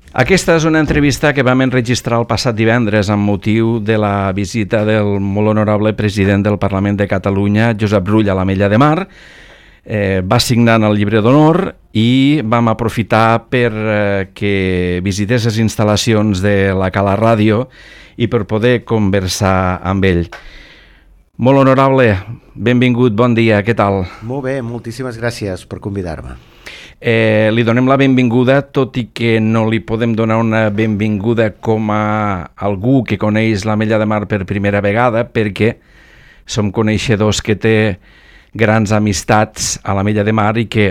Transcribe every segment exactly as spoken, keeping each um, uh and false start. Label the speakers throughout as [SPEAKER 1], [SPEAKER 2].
[SPEAKER 1] Aquesta és una entrevista que vam enregistrar el passat divendres amb motiu de la visita del molt honorable president del Parlament de Catalunya, Josep Rull, a l'Ametlla de Mar. Eh, va signar el llibre d'honor i vam aprofitar per eh, que visités les instal·lacions de la Cala Ràdio i per poder conversar amb ell. Molt honorable, benvingut, bon dia, què tal?
[SPEAKER 2] Molt bé, moltíssimes gràcies per convidar-me.
[SPEAKER 1] Eh, li donem la benvinguda, tot i que no li podem donar una benvinguda com a algú que coneix l'Ametlla de Mar per primera vegada, perquè som coneixedors que té grans amistats a l'Ametlla de Mar i que,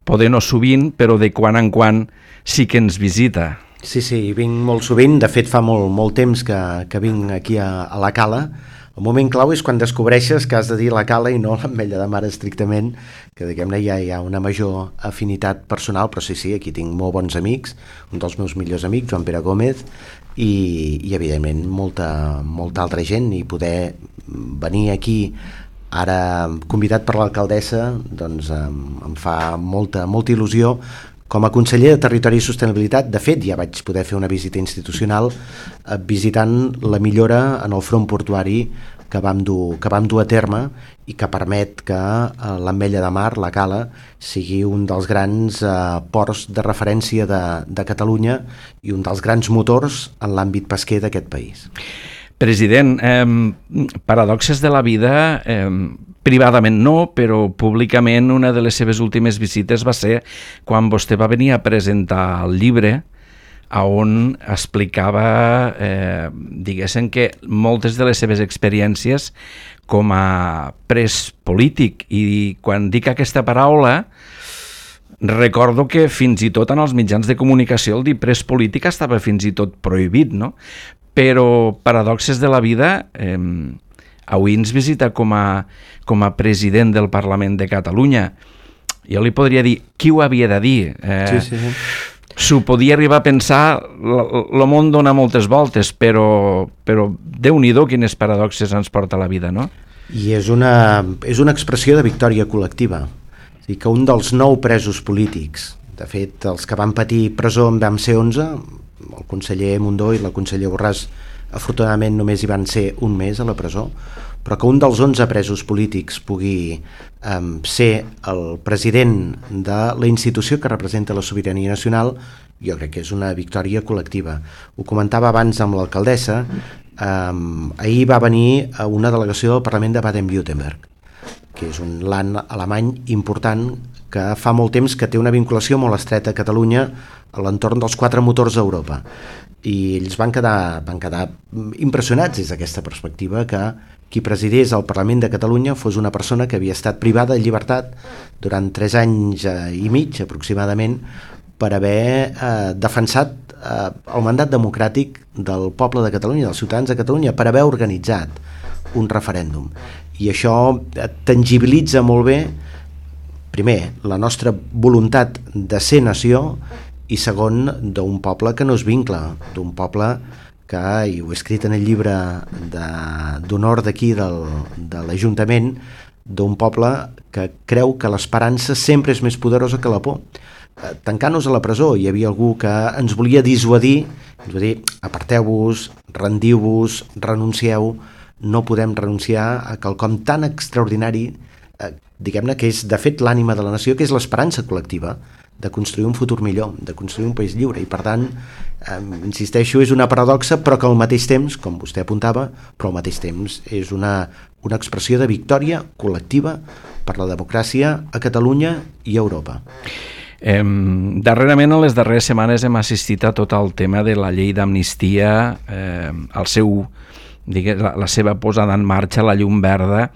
[SPEAKER 1] poder no sovint, però de quan en quan sí que ens visita.
[SPEAKER 2] Sí, sí, vinc molt sovint, de fet fa molt, molt temps que, que vinc aquí a, a la Cala. El moment clau és quan descobreixes que has de dir la Cala i no l'Ametlla de Mar estrictament, que diguem-ne ja hi ha una major afinitat personal, però sí, sí, aquí tinc molt bons amics, un dels meus millors amics, Joan Pere Gómez, i, i evidentment molta, molta altra gent, i poder venir aquí ara convidat per l'alcaldessa, doncs em, em fa molta, molta il·lusió. Com a conseller de Territori i Sostenibilitat, de fet, ja vaig poder fer una visita institucional eh, visitant la millora en el front portuari que vam dur, que vam dur a terme i que permet que eh, l'Ametlla de Mar, la Cala, sigui un dels grans eh, ports de referència de, de Catalunya i un dels grans motors en l'àmbit pesquer d'aquest país.
[SPEAKER 1] President, eh, paradoxes de la vida, eh, privadament no, però públicament una de les seves últimes visites va ser quan vostè va venir a presentar el llibre on explicava, eh, diguéssim que moltes de les seves experiències com a pres polític, i quan dic aquesta paraula recordo que fins i tot en els mitjans de comunicació el dir pres polític estava fins i tot prohibit, no? Però paradoxes de la vida, eh, avui ens visita com a, com a president del Parlament de Catalunya. Jo li podria dir, qui ho havia de dir? Eh,
[SPEAKER 2] sí, sí, sí.
[SPEAKER 1] S'ho podia arribar a pensar, el món dona moltes voltes, però, però Déu-n'hi-do quines paradoxes ens porta la vida, no?
[SPEAKER 2] I és una, és una expressió de victòria col·lectiva. És dir, que un dels nou presos polítics, de fet, els que van patir presó en vam ser onze, el conseller Mundó i la conseller Borràs afortunadament només hi van ser un mes a la presó, però que un dels onze presos polítics pugui um, ser el president de la institució que representa la sobirania nacional, jo crec que és una victòria col·lectiva. Ho comentava abans amb l'alcaldessa, um, ahir va venir a una delegació del Parlament de Baden-Württemberg, que és un land alemany important que fa molt temps que té una vinculació molt estreta a Catalunya a l'entorn dels quatre motors d'Europa. I ells van quedar, van quedar impressionats des d'aquesta perspectiva que qui presidís el Parlament de Catalunya fos una persona que havia estat privada de llibertat durant tres anys i mig aproximadament per haver eh, defensat eh, el mandat democràtic del poble de Catalunya, dels ciutadans de Catalunya, per haver organitzat un referèndum. I això tangibilitza molt bé, primer, la nostra voluntat de ser nació, i segon, d'un poble que no es vincla, d'un poble que, i ho he escrit en el llibre d'honor d'aquí del, de l'Ajuntament, d'un poble que creu que l'esperança sempre és més poderosa que la por. Tancant-nos a la presó, hi havia algú que ens volia dissuadir, ens va dir, aparteu-vos, rendiu-vos, renuncieu, no podem renunciar a quelcom tan extraordinari, eh, diguem-ne que és de fet l'ànima de la nació, que és l'esperança col·lectiva de construir un futur millor, de construir un país lliure, i per tant, eh, insisteixo, és una paradoxa, però que al mateix temps, com vostè apuntava, però al mateix temps és una, una expressió de victòria col·lectiva per la democràcia a Catalunya i a Europa.
[SPEAKER 1] Eh, darrerament, en les darreres setmanes hem assistit a tot el tema de la llei d'amnistia, eh, el seu, diguem, la, la seva posada en marxa, la llum verda.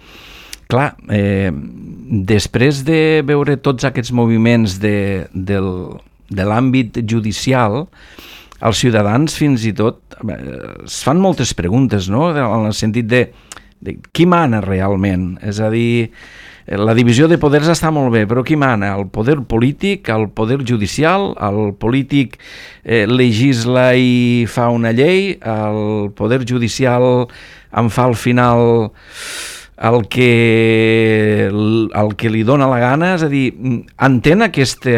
[SPEAKER 1] Clar, eh, després de veure tots aquests moviments de, del, de l'àmbit judicial, els ciutadans fins i tot eh, es fan moltes preguntes, no? En el sentit de, de qui mana realment? És a dir, la divisió de poders està molt bé, però qui mana? El poder polític, el poder judicial, el polític eh, legisla i fa una llei, el poder judicial en fa al final el que, el que li dona la gana, és a dir, entén aquesta,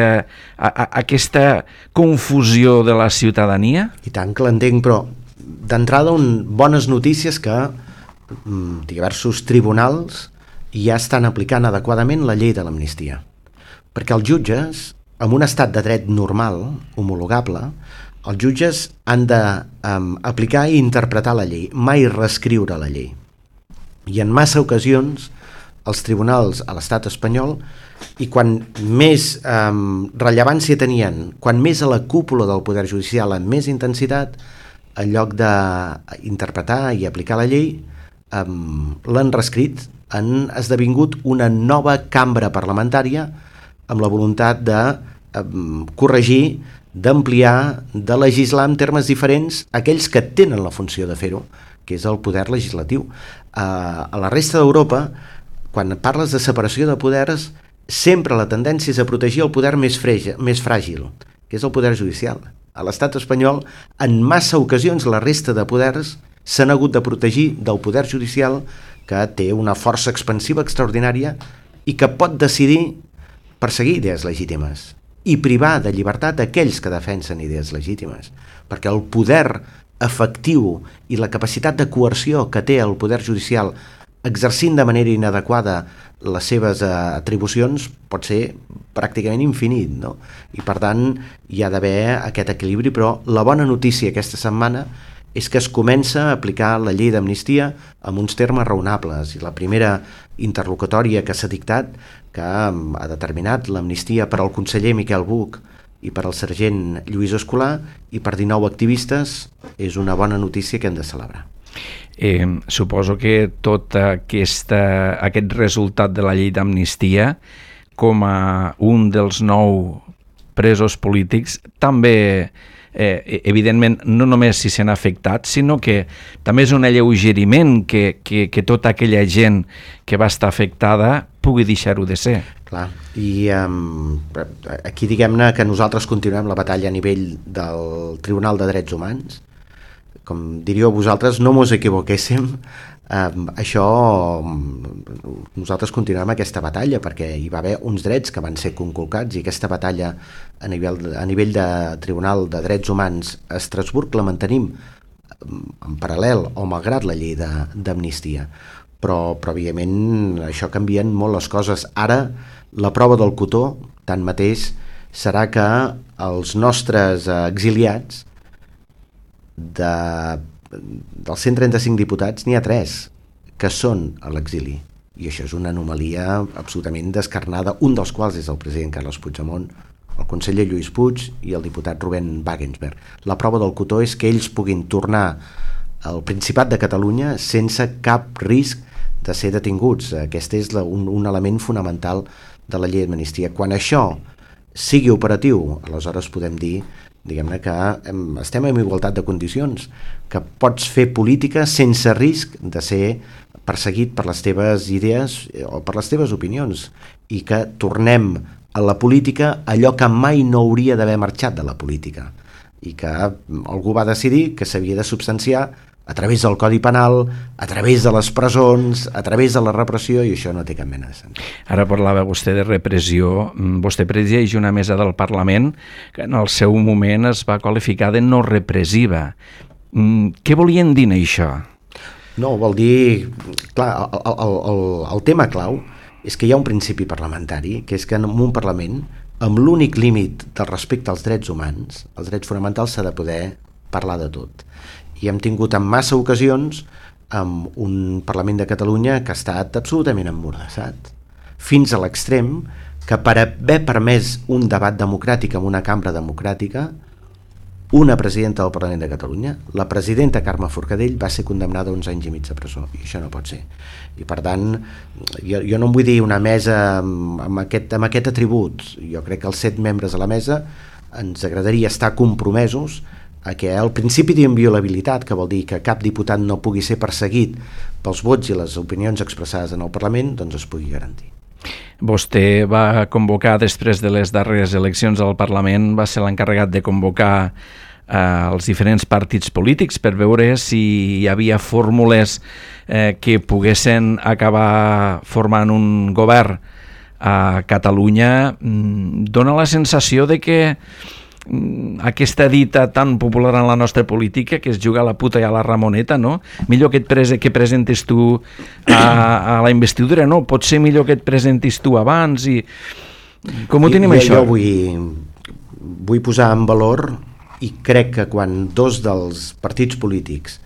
[SPEAKER 1] a, a, aquesta confusió de la ciutadania?
[SPEAKER 2] I tant que l'entenc, però d'entrada un, bones notícies que mm, diversos tribunals ja estan aplicant adequadament la llei de l'amnistia. Perquè els jutges, en un estat de dret normal, homologable, els jutges han d'aplicar um, i interpretar la llei, mai reescriure la llei. I en massa ocasions els tribunals a l'estat espanyol, i quan més um, rellevància tenien, quan més a la cúpula del poder judicial amb més intensitat, en lloc d'interpretar i aplicar la llei, um, l'han reescrit, han esdevingut una nova cambra parlamentària amb la voluntat de um, corregir, d'ampliar, de legislar en termes diferents aquells que tenen la funció de fer-ho, que és el poder legislatiu. Uh, a la resta d'Europa, quan parles de separació de poders, sempre la tendència és a protegir el poder més, frege, més fràgil, que és el poder judicial. A l'estat espanyol, en massa ocasions, la resta de poders s'han hagut de protegir del poder judicial, que té una força expansiva extraordinària i que pot decidir perseguir idees legítimes i privar de llibertat aquells que defensen idees legítimes, perquè el poder efectiu i la capacitat de coerció que té el poder judicial exercint de manera inadequada les seves atribucions pot ser pràcticament infinit, no? I per tant hi ha d'haver aquest equilibri, però la bona notícia aquesta setmana és que es comença a aplicar la llei d'amnistia amb uns termes raonables, i la primera interlocutòria que s'ha dictat, que ha determinat l'amnistia per al conseller Miquel Buch i per al sergent Lluís Escolà i per dinou activistes, és una bona notícia que hem de celebrar.
[SPEAKER 1] Eh, suposo que tot aquesta, aquest resultat de la llei d'amnistia, com a un dels nou presos polítics, també, eh, evidentment, no només si s'han afectat, sinó que també és un alleugeriment que, que, que tota aquella gent que va estar afectada pugui deixar-ho de ser.
[SPEAKER 2] Clar, i um, aquí diguem-ne que nosaltres continuem la batalla a nivell del Tribunal de Drets Humans. Com diríeu vosaltres, no mos equivoquéssim, um, això nosaltres continuem aquesta batalla perquè hi va haver uns drets que van ser conculcats, i aquesta batalla a nivell, a nivell de Tribunal de Drets Humans a Estrasburg la mantenim en paral·lel o malgrat la llei d'amnistia. Però, però evidentment això canvien molt les coses. Ara la prova del cotó tanmateix serà que els nostres exiliats de, dels cent trenta-cinc diputats n'hi ha tres que són a l'exili, i això és una anomalia absolutament descarnada, un dels quals és el president Carles Puigdemont, el conseller Lluís Puig i el diputat Rubén Wagensberg. La prova del cotó és que ells puguin tornar al Principat de Catalunya sense cap risc de ser detinguts. Aquest és la, un, un element fonamental de la llei d'amnistia. Quan això sigui operatiu, aleshores podem dir, diguem-ne, que estem en igualtat de condicions, que pots fer política sense risc de ser perseguit per les teves idees o per les teves opinions, i que tornem a la política allò que mai no hauria d'haver marxat de la política, i que algú va decidir que s'havia de substanciar a través del Codi Penal, a través de les presons, a través de la repressió, i això no té cap mena de sentit.
[SPEAKER 1] Ara parlava vostè de repressió. Vostè presideix una mesa del Parlament que en el seu moment es va qualificar de no repressiva. Què volien dir això?
[SPEAKER 2] No, vol dir... Clar, el, el, el, el tema clau és que hi ha un principi parlamentari, que és que en un Parlament, amb l'únic límit del respecte als drets humans, els drets fonamentals, s'ha de poder parlar de tot. I hem tingut en massa ocasions amb un Parlament de Catalunya que ha estat absolutament emmordassat, fins a l'extrem que per haver permès un debat democràtic en una cambra democràtica, una presidenta del Parlament de Catalunya, la presidenta Carme Forcadell, va ser condemnada a uns anys i mig de presó, i això no pot ser. I per tant, jo, jo no em vull dir una mesa amb, amb, aquest, amb aquest atribut. Jo crec que els set membres de la mesa ens agradaria estar compromesos a que el principi d'inviolabilitat, que vol dir que cap diputat no pugui ser perseguit pels vots i les opinions expressades en el Parlament, doncs es pugui garantir.
[SPEAKER 1] Vostè va convocar, després de les darreres eleccions al Parlament, va ser l'encarregat de convocar als diferents partits polítics per veure si hi havia fórmules eh, que poguessin acabar formant un govern a Catalunya. Dóna la sensació de que aquesta dita tan popular en la nostra política, que es juga a la puta i a la Ramoneta, no? Millor que et prese, que presentes tu a, a la investidura, no? Pot ser millor que et presentis tu abans i... Com ho tenim,
[SPEAKER 2] I,
[SPEAKER 1] això?
[SPEAKER 2] Jo vull, vull posar en valor, i crec que quan dos dels partits polítics,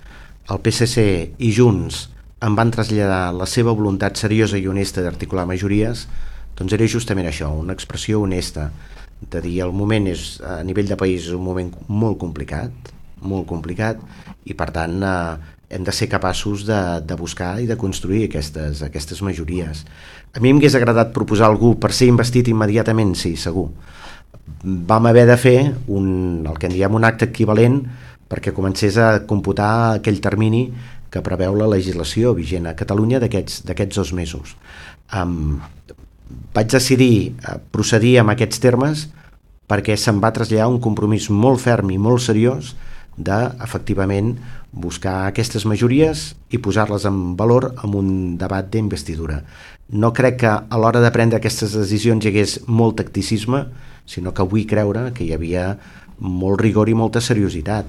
[SPEAKER 2] el P S C i Junts, em van traslladar la seva voluntat seriosa i honesta d'articular majories, doncs era justament això, una expressió honesta, de dir el moment és, a nivell de país, un moment molt complicat, molt complicat, i per tant eh, hem de ser capaços de, de buscar i de construir aquestes, aquestes majories. A mi m'hagués agradat proposar algú per ser investit immediatament, sí, segur. Vam haver de fer un, el que en diem un acte equivalent perquè comencés a computar aquell termini que preveu la legislació vigent a Catalunya d'aquests d'aquests dos mesos. Um, vaig decidir procedir amb aquests termes perquè se'm va traslladar un compromís molt ferm i molt seriós de, efectivament, buscar aquestes majories i posar-les en valor en un debat d'investidura. No crec que a l'hora de prendre aquestes decisions hi hagués molt tacticisme, sinó que vull creure que hi havia molt rigor i molta seriositat.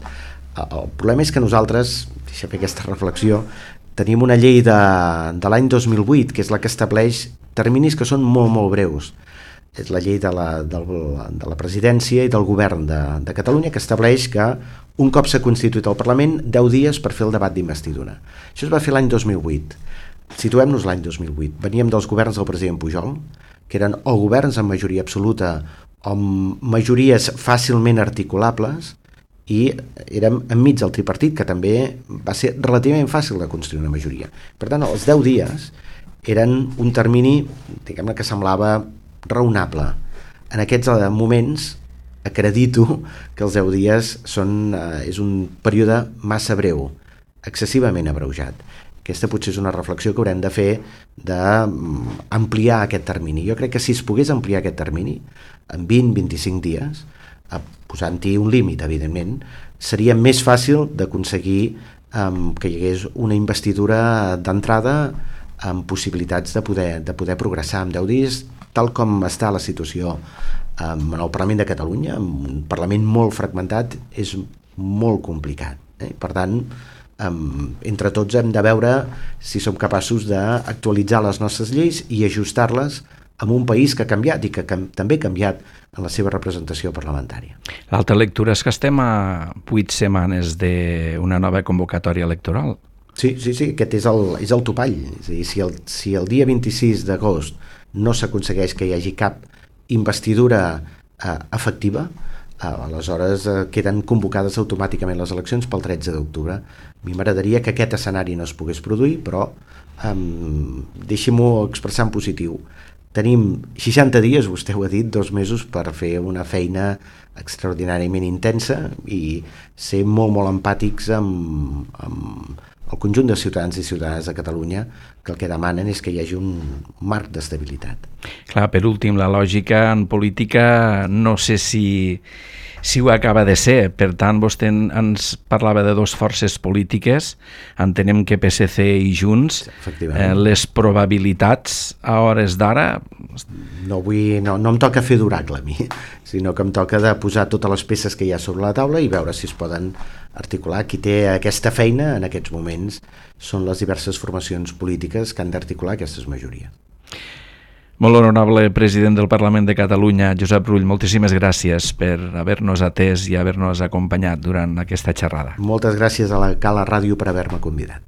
[SPEAKER 2] El problema és que nosaltres, deixa fer aquesta reflexió, tenim una llei de, de l'any dos mil vuit, que és la que estableix terminis que són molt, molt breus. És la llei de la, de, de la presidència i del govern de, de Catalunya, que estableix que un cop s'ha constituït el Parlament, deu dies per fer el debat d'investidura. Això es va fer l'any dos mil vuit. Situem-nos l'any dos mil vuit. Veníem dels governs del president Pujol, que eren o governs amb majoria absoluta o amb majories fàcilment articulables, i érem enmig del tripartit, que també va ser relativament fàcil de construir una majoria. Per tant, els deu dies eren un termini, diguem-ne, que semblava raonable. En aquests moments acredito que els deu dies són, eh, és un període massa breu, excessivament abreujat. Aquesta potser és una reflexió que haurem de fer d'ampliar aquest termini. Jo crec que si es pogués ampliar aquest termini en vint a vint-i-cinc dies, posant-hi un límit, evidentment, seria més fàcil d'aconseguir um, que hi hagués una investidura d'entrada amb possibilitats de poder, de poder progressar en deu dies, tal com està la situació um, en el Parlament de Catalunya, un Parlament molt fragmentat, és molt complicat. Eh? Per tant, um, entre tots hem de veure si som capaços d'actualitzar les nostres lleis i ajustar-les en un país que ha canviat i que cam- també ha canviat en la seva representació parlamentària.
[SPEAKER 1] L'altra lectura és que estem a vuit setmanes d'una nova convocatòria electoral.
[SPEAKER 2] Sí, sí, sí, aquest és el, és el topall. És a dir, si el, si el dia vint-i-sis d'agost no s'aconsegueix que hi hagi cap investidura eh, efectiva, eh, aleshores eh, queden convocades automàticament les eleccions pel tretze d'octubre. A mi m'agradaria que aquest escenari no es pogués produir, però eh, deixi-m'ho expressar en positiu. Tenim seixanta dies, vostè ho ha dit, dos mesos per fer una feina extraordinàriament intensa i ser molt, molt empàtics amb, amb el conjunt de ciutadans i ciutadanes de Catalunya, que el que demanen és que hi hagi un marc d'estabilitat.
[SPEAKER 1] Clar, per últim, la lògica en política no sé si, si ho acaba de ser. Per tant, vostè ens parlava de dues forces polítiques, entenem que P S C i Junts, eh, les probabilitats a hores d'ara...
[SPEAKER 2] No, vull, no, no em toca fer d'oracle a mi, sinó que em toca de posar totes les peces que hi ha sobre la taula i veure si es poden articular. Qui té aquesta feina en aquests moments són les diverses formacions polítiques que han d'articular aquestes majories.
[SPEAKER 1] Molt honorable president del Parlament de Catalunya, Josep Rull, moltíssimes gràcies per haver-nos atès i haver-nos acompanyat durant aquesta xerrada.
[SPEAKER 2] Moltes gràcies a la Cala Ràdio per haver-me convidat.